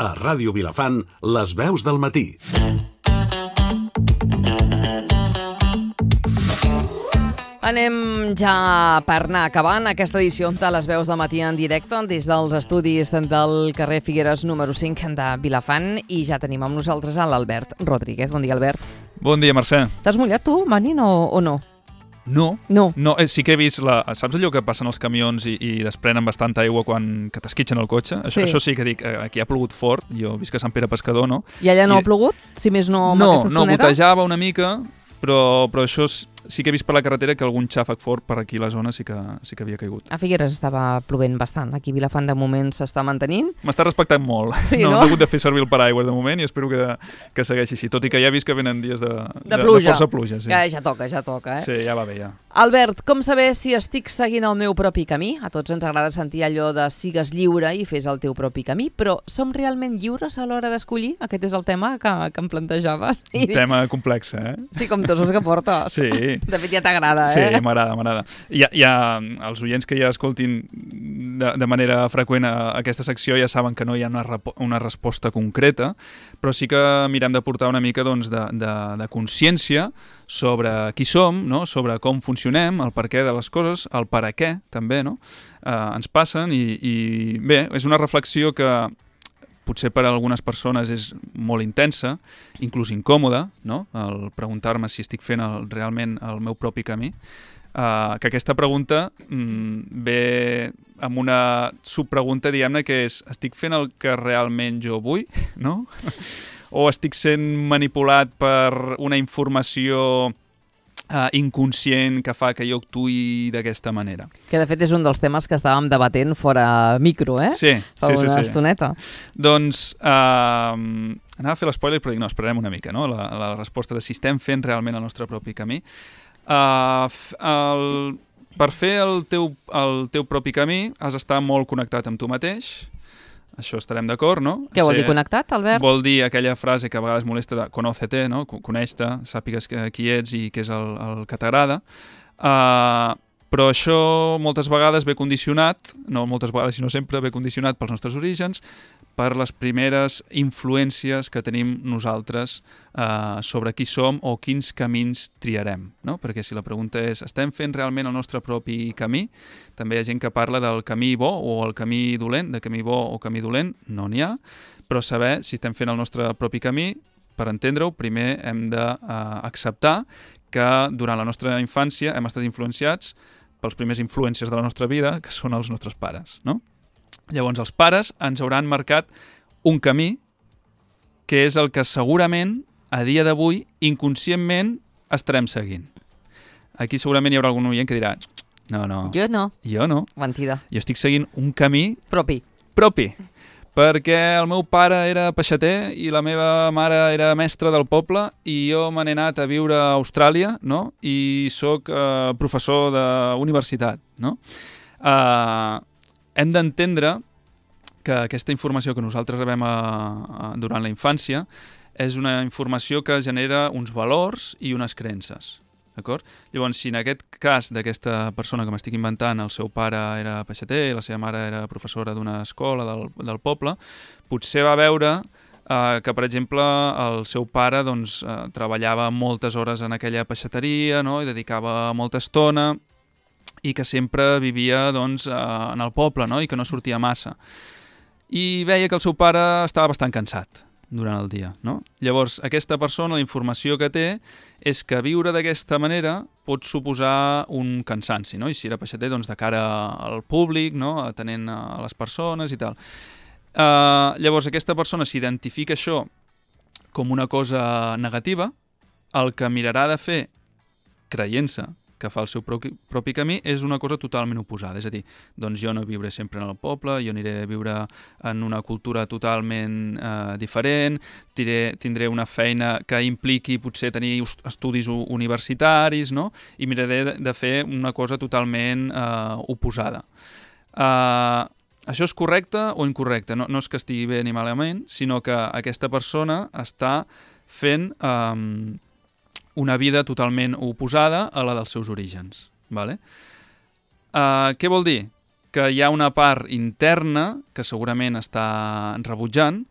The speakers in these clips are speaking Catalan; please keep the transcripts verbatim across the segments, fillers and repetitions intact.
A Ràdio Vilafant, les veus del matí. Anem ja per anar acabant aquesta edició de les veus del matí en directe des dels estudis del carrer Figueres número cinc de Vilafant i ja tenim amb nosaltres a l'Albert Rodríguez. Bon dia, Albert. Bon dia, Mercè. T'has mullat tu, venint o, o no? No. No. no eh, sí que he vist, la, saps allò que passen els camions i, i desprenen bastanta aigua quan que t'esquitxen el cotxe? Això sí. això sí que dic, aquí ha plogut fort, jo visc a Sant Pere Pescador, no? I allà no I... ha plogut? Si més no amb no, aquesta estoneta? No, gotejava una mica, però, però això sí que he vist per la carretera que algun xàfec fort per aquí a la zona sí que, sí que havia caigut. A Figueres estava plovent bastant, aquí a Vilafant de moment s'està mantenint. M'està respectant molt, sí, no, no? no he hagut de fer servir el paraigües de moment i espero que, que segueixi així, tot i que ja he vist que venen dies de, de, pluja. de força pluja. Sí. Ja, ja toca, ja toca, eh? Sí, ja va bé, ja. Albert, com saber si estic seguint el meu propi camí? A tots ens agrada sentir allò de sigues lliure i fes el teu propi camí, però som realment lliures a l'hora d'escollir? Aquest és el tema que, que em plantejaves. Un tema complex, eh? Sí, com tots els que portes. Sí. De fet, ja t'agrada, eh? Sí, m'agrada, m'agrada. Ja, ja, els oients que ja escoltin de, de manera freqüent a aquesta secció ja saben que no hi ha una, una resposta concreta, però sí que mirem de portar una mica doncs, de, de, de consciència sobre qui som, no? Sobre com funcionem, el per què de les coses, el per a què també, no? Eh, ens passen i, i bé, és una reflexió que potser per a algunes persones és molt intensa, inclús incòmoda, no? El preguntar-me si estic fent el, realment el meu propi camí. Uh, que aquesta pregunta mm, ve amb una subpregunta, diguem-ne, que és estic fent el que realment jo vull, no? O estic sent manipulat per una informació Uh, inconscient que fa que jo actuï d'aquesta manera. Que de fet és un dels temes que estàvem debatent fora micro, eh? Sí, Fa sí, sí. una sí. estoneta. Doncs uh, anava a fer l'espoiler, però dic, no, esperarem una mica, no? La, la resposta de si estem fent realment el nostre propi camí. Uh, el, per fer el teu, el teu propi camí has d'estar molt connectat amb tu mateix. Això estarem d'acord, no? Què vol dir connectat, Albert? Vol dir aquella frase que a vegades molesta de conócete, no? Coneix-te, sàpigues qui ets i què és el, el que t'agrada. Uh, però això moltes vegades ve condicionat, no moltes vegades sinó sempre ve condicionat pels nostres orígens, per les primeres influències que tenim nosaltres uh, sobre qui som o quins camins triarem, no? Perquè si la pregunta és estem fent realment el nostre propi camí? També hi ha gent que parla del camí bo o el camí dolent, de camí bo o camí dolent, no n'hi ha, però saber si estem fent el nostre propi camí, per entendre-ho, primer hem d'acceptar uh, que durant la nostra infància hem estat influenciats pels primers influències de la nostra vida, que són els nostres pares, no? Llavors, els pares ens hauran marcat un camí que és el que segurament, a dia d'avui, inconscientment estarem seguint. Aquí segurament hi haurà algun oient que dirà no, no. Jo no. Jo no. Mentida. Jo estic seguint un camí... Propi. Propi. Perquè el meu pare era peixater i la meva mare era mestra del poble i jo me n'he anat a viure a Austràlia, no? I sóc eh, professor d'universitat, no? Eh... Uh, Hem d'entendre que aquesta informació que nosaltres rebem a, a, durant la infància és una informació que genera uns valors i unes creences. D'acord? Llavors, si en aquest cas d'aquesta persona que m'estic inventant, el seu pare era peixater i la seva mare era professora d'una escola del, del poble, potser va veure eh, que, per exemple, el seu pare doncs, eh, treballava moltes hores en aquella peixateria, no? I dedicava molta estona, i que sempre vivia doncs, en el poble, no? I que no sortia massa. I veia que el seu pare estava bastant cansat durant el dia, no? Llavors, aquesta persona, la informació que té és que viure d'aquesta manera pot suposar un cansanci, no? I si era peixater, doncs de cara al públic, no? Atenent a les persones i tal. Uh, llavors, aquesta persona s'identifica això com una cosa negativa, el que mirarà de fer, creient-se que fa el seu propi, propi camí, és una cosa totalment oposada. És a dir, doncs jo no viuré sempre en el poble, jo aniré a viure en una cultura totalment eh, diferent, tiré, tindré una feina que impliqui potser tenir estudis universitaris, no? I miraré de, de fer una cosa totalment eh, oposada. Eh, això és correcte o incorrecte? No, no és que estigui bé ni malament, sinó que aquesta persona està fent... Eh, una vida totalment oposada a la dels seus orígens. Vale? Uh, què vol dir? que hi ha una part interna que segurament està rebutjant,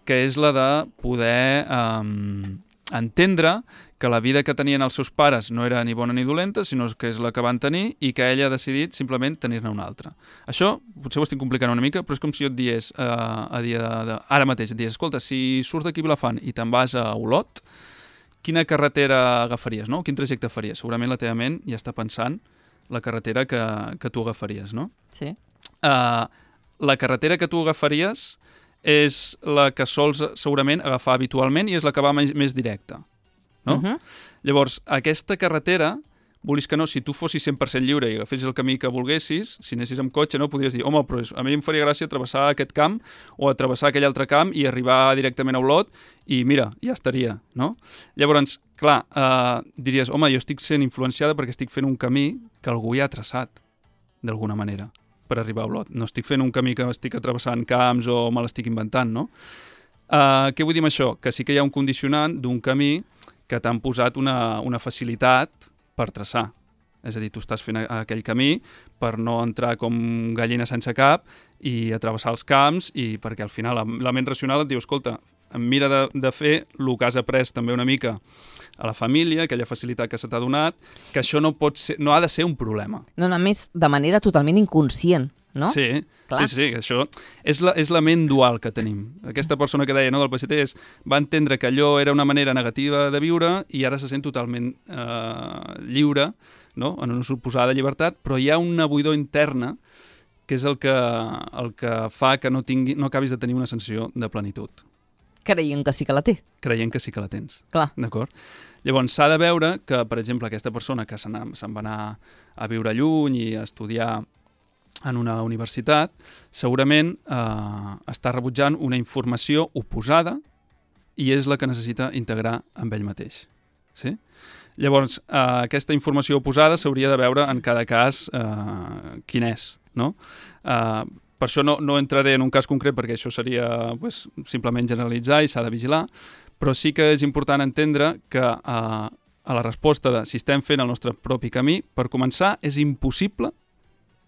que és la de poder eh, entendre que la vida que tenien els seus pares no era ni bona ni dolenta, sinó que és la que van tenir i que ella ha decidit simplement tenir-ne una altra. Això potser ho estic complicant una mica, però és com si jo et digués, eh, a dia de, de, ara mateix, et digués, escolta, si surts d'aquí Vilafant i te'n vas a Olot, quina carretera agafaries, no? Quin trajecte faries? Segurament la teva ment ja està pensant la carretera que, que tu agafaries, no? Sí. Uh, la carretera que tu agafaries és la que sols segurament agafar habitualment i és la que va més, més directa. No? Uh-huh. Llavors, aquesta carretera, volis que no, si tu fossis cent per cent lliure i agafessis el camí que volguessis, si anessis amb cotxe, no, podries dir, home, però a mi em faria gràcia travessar aquest camp o travessar aquell altre camp i arribar directament a Olot i mira, ja estaria, no? Llavors, clar, eh, diries, home, jo estic sent influenciada perquè estic fent un camí que algú ja ha traçat, d'alguna manera, per arribar a Olot. No estic fent un camí que estic travessant camps o me l'estic inventant, no? Eh, què vull dir amb això? Que sí que hi ha un condicionant d'un camí que t'han posat una, una facilitat per traçar. És a dir, tu estàs fent aquell camí per no entrar com gallina sense cap i a travessar els camps i perquè al final la, la ment racional et diu, escolta, em mira de, de fer el que has après també una mica a la família, aquella facilitat que se t'ha donat, que això no pot ser, no ha de ser un problema. No, a més, de manera totalment inconscient, no? Sí, Clar. sí, sí, això és la, és la ment dual que tenim. Aquesta persona que deia, no, del P S T és, va entendre que allò era una manera negativa de viure i ara se sent totalment eh, lliure, no? En una suposada llibertat, però hi ha una buidor interna que és el que, el que fa que no, tingui, no acabis de tenir una sensació de plenitud. Creient que sí que la té. Creient que sí que la tens. Clar. D'acord? Llavors, s'ha de veure que, per exemple, aquesta persona que se'n va anar a viure lluny i a estudiar en una universitat, segurament eh, està rebutjant una informació oposada i és la que necessita integrar amb ell mateix. Sí? Llavors, eh, aquesta informació oposada s'hauria de veure en cada cas eh, quin és, no? Eh, per això no, no entraré en un cas concret perquè això seria pues, simplement generalitzar i s'ha de vigilar, però sí que és important entendre que eh, a la resposta de si estem fent el nostre propi camí, per començar, és impossible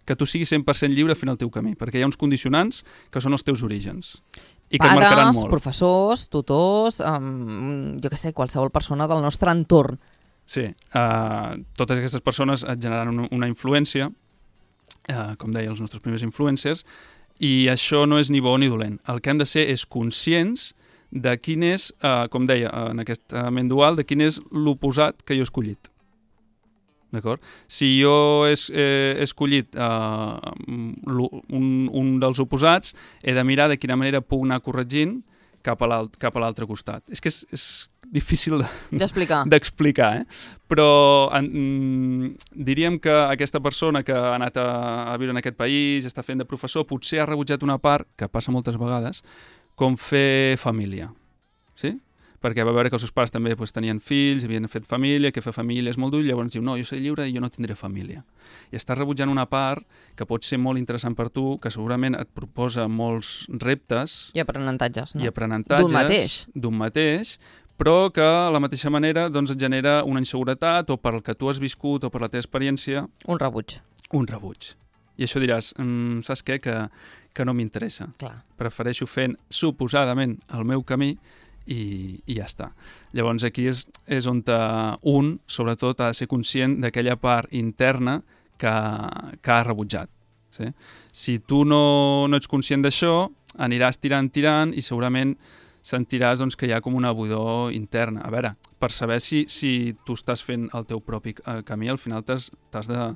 que tu siguis cent per cent lliure fent el teu camí, perquè hi ha uns condicionants que són els teus orígens i que Pares, et marcaran molt. professors, tutors, um, jo què sé, qualsevol persona del nostre entorn. Sí, uh, totes aquestes persones et generaran una, una influència, uh, com deia, els nostres primers influencers, i això no és ni bo ni dolent. El que hem de ser és conscients de quin és, uh, com deia, en aquest ment dual, de quin és l'oposat que jo he escollit. D'acord? Si jo he, he escollit uh, un, un dels oposats, he de mirar de quina manera puc anar corregint cap a l'altre costat. És que és, és difícil d'explicar, de, eh? Però en, mm, diríem que aquesta persona que ha anat a, a viure en aquest país, està fent de professor, potser ha rebutjat una part, que passa moltes vegades, com fer família. Sí? Perquè va veure que els seus pares també pues, tenien fills, havien fet família, que fer família és molt dur, llavors diu, no, jo soc lliure i jo no tindré família. I estàs rebutjant una part que pot ser molt interessant per tu, que segurament et proposa molts reptes... I aprenentatges, no? I aprenentatges... D'un mateix. D'un mateix, però que a la mateixa manera doncs, et genera una inseguretat o per el que tu has viscut o per la teva experiència... Un rebuig. Un rebuig. I això diràs, mm, saps què? Que, que no m'interessa. Prefereixo fent suposadament el meu camí I, i ja està. Llavors aquí és, és on un, sobretot, ha de ser conscient d'aquella part interna que, que ha rebutjat. Sí? Si tu no, no ets conscient d'això, aniràs tirant, tirant i segurament sentiràs doncs, que hi ha com una buidor interna. A veure, per saber si, si tu estàs fent el teu propi eh, camí, al final t'has, t'has de...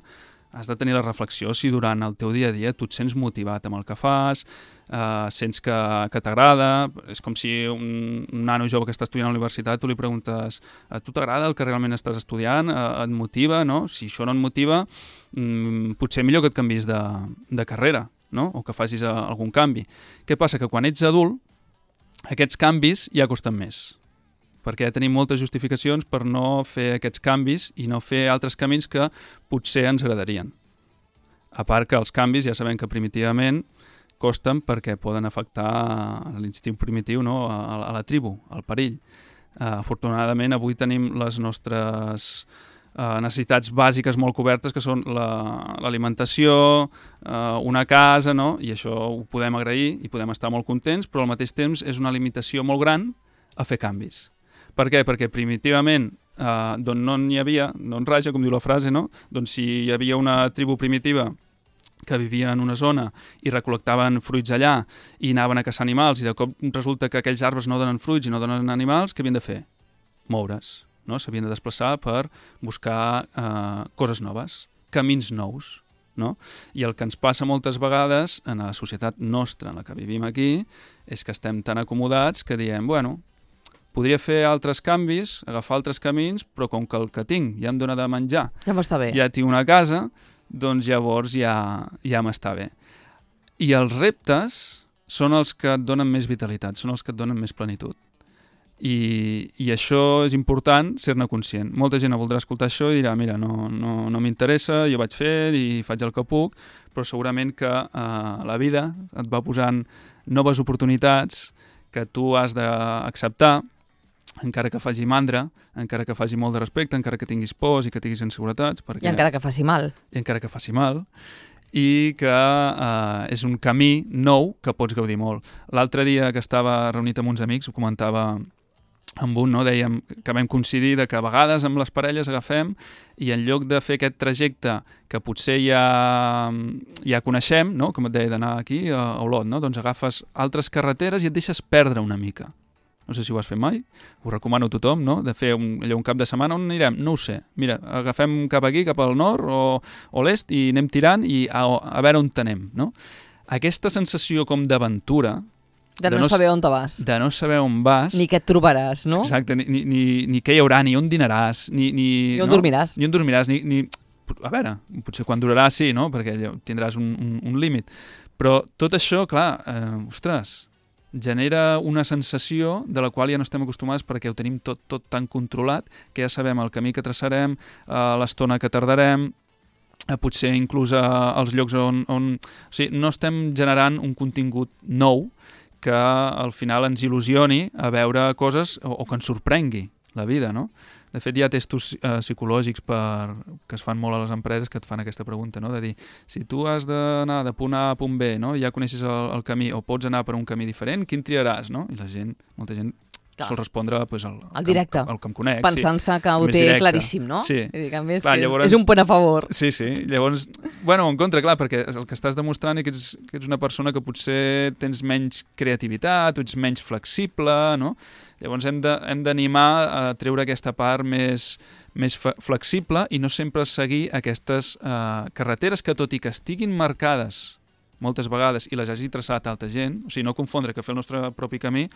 has de tenir la reflexió si durant el teu dia a dia tu et sents motivat amb el que fas, eh, sents que, que t'agrada. És com si un, un nano jove que està estudiant a la universitat tu li preguntes a tu t'agrada el que realment estàs estudiant, eh, et motiva, no? Si això no et motiva, mm, potser millor que et canvis de, de carrera, no? O que facis a, algun canvi. Què passa? Que quan ets adult, aquests canvis ja costen més, perquè tenim moltes justificacions per no fer aquests canvis i no fer altres camins que potser ens agradarien. A part que els canvis ja sabem que primitivament costen perquè poden afectar l'instint primitiu, no? a, a la tribu, al perill. Uh, afortunadament avui tenim les nostres uh, necessitats bàsiques molt cobertes, que són l'alimentació, la, uh, una casa, no? I això ho podem agrair i podem estar molt contents, però al mateix temps és una limitació molt gran a fer canvis. Per què? Perquè primitivament, uh, d'on no n'hi havia, no en raja, com diu la frase, no? Doncs si hi havia una tribu primitiva que vivia en una zona i recol·lectaven fruits allà i anaven a caçar animals i de cop resulta que aquells arbres no donen fruits i no donen animals, què havien de fer? Moure's, no? S'havien de desplaçar per buscar eh, coses noves, camins nous, no? I el que ens passa moltes vegades en la societat nostra en la que vivim aquí és que estem tan acomodats que diem, bueno, podria fer altres canvis, agafar altres camins, però com que el que tinc ja em dona de menjar, ja m'està bé. Ja tinc una casa, doncs llavors ja, ja m'està bé. I els reptes són els que et donen més vitalitat, són els que et donen més plenitud. I, i això és important ser-ne conscient. Molta gent voldrà escoltar això i dirà, mira, no, no, no m'interessa, jo vaig fer i faig el que puc, però segurament que eh, la vida et va posant noves oportunitats que tu has d'acceptar, encara que faci mandra, encara que faci molt de respecte, encara que tinguis pors i que tinguis inseguretats. Perquè... I encara que faci mal. I encara que faci mal. I que eh, és un camí nou que pots gaudir molt. L'altre dia que estava reunit amb uns amics, ho comentava amb un, no? Dèiem que vam coincidir de que a vegades amb les parelles agafem i en lloc de fer aquest trajecte que potser ja, ja coneixem, no? Com et deia, d'anar aquí a Olot, no? Doncs agafes altres carreteres i et deixes perdre una mica. No sé si ho has fet mai, ho recomano a tothom, no? De fer un, allò, un cap de setmana, on anirem? No ho sé. Mira, agafem cap aquí, cap al nord o, o l'est i anem tirant i a, a veure on anem, no? Aquesta sensació com d'aventura... De, de no, no saber on te vas. De no saber on vas. Ni què et trobaràs, no? Exacte, ni, ni, ni què hi haurà, ni on dinaràs, ni... Ni, ni on no? dormiràs. Ni on dormiràs, ni... ni... A veure, potser quan durarà sí, no? Perquè allò, tindràs un, un, un límit. Però tot això, clar, eh, ostres... genera una sensació de la qual ja no estem acostumats perquè ho tenim tot, tot tan controlat que ja sabem el camí que traçarem, eh, l'estona que tardarem, eh, potser inclús eh, els llocs on, on... O sigui, no estem generant un contingut nou que al final ens il·lusioni a veure coses o, o que ens sorprengui la vida, no? De fet, hi ha testos eh, psicològics per, que es fan molt a les empreses que et fan aquesta pregunta, no? De dir, si tu has d'anar de punt A a punt B, no? Ja coneixes el, el camí o pots anar per un camí diferent, quin triaràs, no? I la gent, molta gent Clar. sol respondre pues, el, el directe, el, el que em conec. Pensant-se sí. que ho Més té directe. claríssim, no? Sí. I dir, que a més clar, que és, llavors, és un punt a favor. Sí, sí. Llavors, bueno, en contra, clar, perquè el que estàs demostrant és que ets, que ets una persona que potser tens menys creativitat, o ets menys flexible, no? Llavors hem d'animar a treure aquesta part més, més flexible i no sempre seguir aquestes eh, carreteres que, tot i que estiguin marcades moltes vegades i les hagi traçat altra gent, o sigui, no confondre que fer el nostre propi camí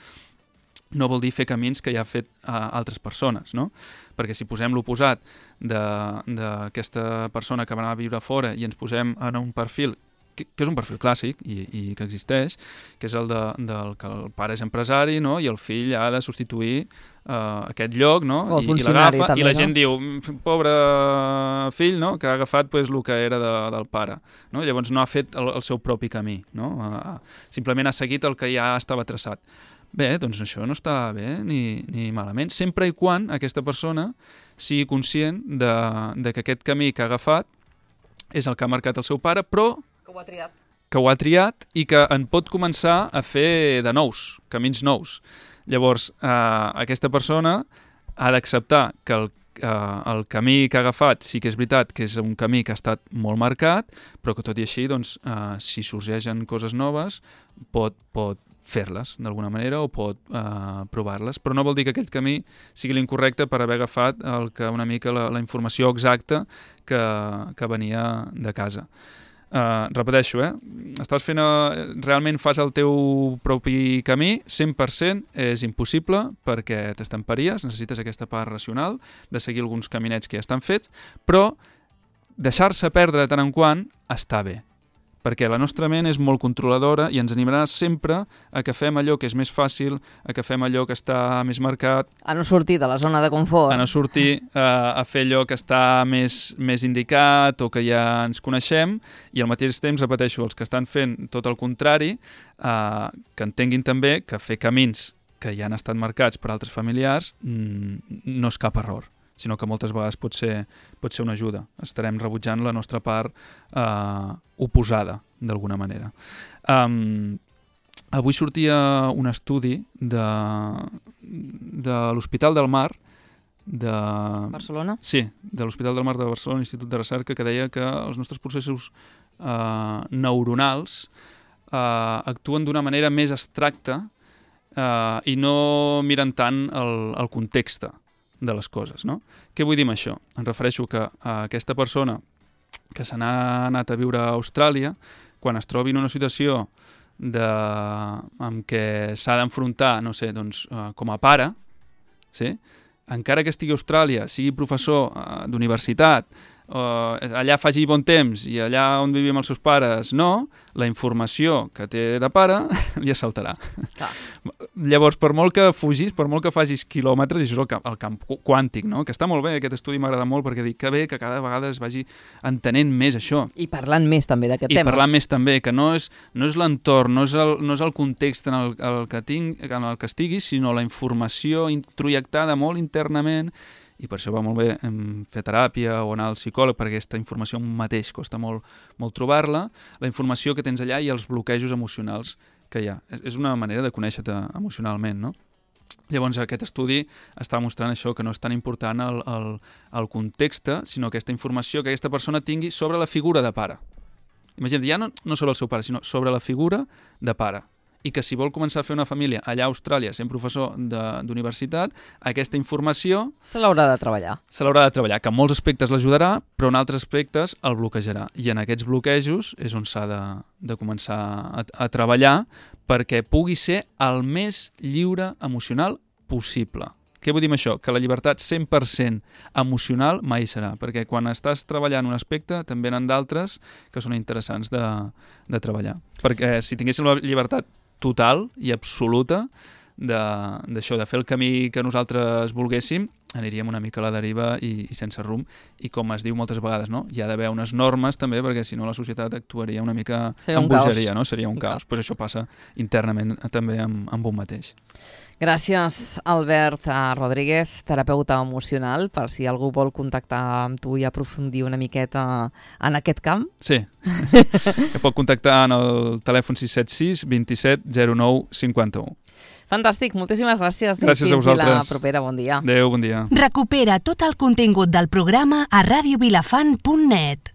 no vol dir fer camins que ja ha fet uh, altres persones, no? Perquè si posem l'oposat d'aquesta persona que va anar a viure fora i ens posem en un perfil, que, que és un perfil clàssic i, i que existeix, que és el de, del que el pare és empresari, no? I el fill ha de substituir uh, aquest lloc, no? O el I, funcionari, i l'agafa, també, i la no? gent diu, pobre fill, no? Que ha agafat pues, el que era de, del pare, no? Llavors no ha fet el, el seu propi camí, no? Uh, simplement ha seguit el que ja estava traçat. Bé, doncs això no està bé ni, ni malament, sempre i quan aquesta persona sigui conscient de, de que aquest camí que ha agafat és el que ha marcat el seu pare, però que ho ha triat. que ho ha triat i que en pot començar a fer de nous, camins nous. Llavors, eh, aquesta persona ha d'acceptar que el, eh, el camí que ha agafat sí que és veritat que és un camí que ha estat molt marcat, però que tot i així, doncs, eh, si sorgeixen coses noves, pot, pot fer-les d'alguna manera o pot eh, provar-les, però no vol dir que aquell camí sigui l'incorrecte per haver agafat el que una mica la, la informació exacta que, que venia de casa. Uh, repeteixo, eh? Estàs fent, uh, realment fas el teu propi camí, cent per cent és impossible perquè t'estamparies, necessites aquesta part racional de seguir alguns caminets que ja estan fets, però deixar-se perdre de tant en quant està bé, perquè la nostra ment és molt controladora i ens animarà sempre a que fem allò que és més fàcil, a que fem allò que està més marcat, a no sortir de la zona de confort, a no sortir uh, a fer allò que està més, més indicat o que ja ens coneixem, i al mateix temps, repeteixo, els que estan fent tot el contrari, uh, que entenguin també que fer camins que ja han estat marcats per altres familiars mm, no és cap error, sinó que moltes vegades pot ser, pot ser una ajuda. Estarem rebutjant la nostra part eh, oposada, d'alguna manera. Um, avui sortia un estudi de, de l'Hospital del Mar, de... Barcelona? Sí, de l'Hospital del Mar de Barcelona, Institut de Recerca, que deia que els nostres processos eh, neuronals eh, actuen d'una manera més abstracta eh, i no miren tant el, el context de les coses, no? Què vull dir amb això? Em refereixo que a aquesta persona que se n'ha anat a viure a Austràlia, quan es trobi en una situació de, en què s'ha d'enfrontar, no sé, doncs, eh, com a pare, sí? Encara que estigui a Austràlia, sigui professor eh, d'universitat, eh, allà faci bon temps i allà on vivim els seus pares no, la informació que té de pare li assaltarà. Clar. Llavors, per molt que fugis, per molt que facis quilòmetres, i això és el camp, el camp quàntic, no? Que està molt bé, aquest estudi m'agrada molt perquè dic que bé que cada vegada es vagi entenent més això. I parlant més també d'aquest tema. I parlant més també, que no és, no és l'entorn, no, és el, no és el context en el, el que tinc, en el que estiguis, sinó la informació introjectada molt internament, i per això va molt bé fer teràpia o anar al psicòleg, perquè aquesta informació mateix costa molt, molt trobar-la, la informació que tens allà i els bloquejos emocionals que hi ha. És una manera de conèixer-te emocionalment, no? Llavors aquest estudi està mostrant això, que no és tan important el, el, el context, sinó aquesta informació que aquesta persona tingui sobre la figura de pare. Imagina't, ja no, no sobre el seu pare, sinó sobre la figura de pare. I que si vol començar a fer una família allà a Austràlia, sent professor d'universitat, aquesta informació... Se l'haurà de treballar. Se l'haurà de treballar, que en molts aspectes l'ajudarà, però en altres aspectes el bloquejarà. I en aquests bloquejos és on s'ha de, de començar a, a treballar perquè pugui ser el més lliure emocional possible. Què vull dir amb això? Que la llibertat cent per cent emocional mai serà, perquè quan estàs treballant un aspecte també n'han d'altres que són interessants de, de treballar. Perquè si tinguéssim la llibertat total i absoluta d'això, de, de fer el camí que nosaltres volguéssim, aniríem una mica a la deriva i, i sense rumb, i com es diu moltes vegades, no? Hi ha d'haver unes normes també, perquè si no la societat actuaria una mica en bogeria, no? Seria un, un caos. Pues això passa internament també amb, amb un mateix. Gràcies, Albert Rodríguez, terapeuta emocional, per si algú vol contactar amb tu i aprofundir una miqueta en aquest camp. Sí, que pot contactar en el telèfon sis set sis, dos set, zero nou, cinquanta u. Fantàstic, moltíssimes gràcies. Gràcies a vosaltres. I la propera, bon dia. Adéu, bon dia. Recupera tot el contingut del programa a radio vilafant punt net.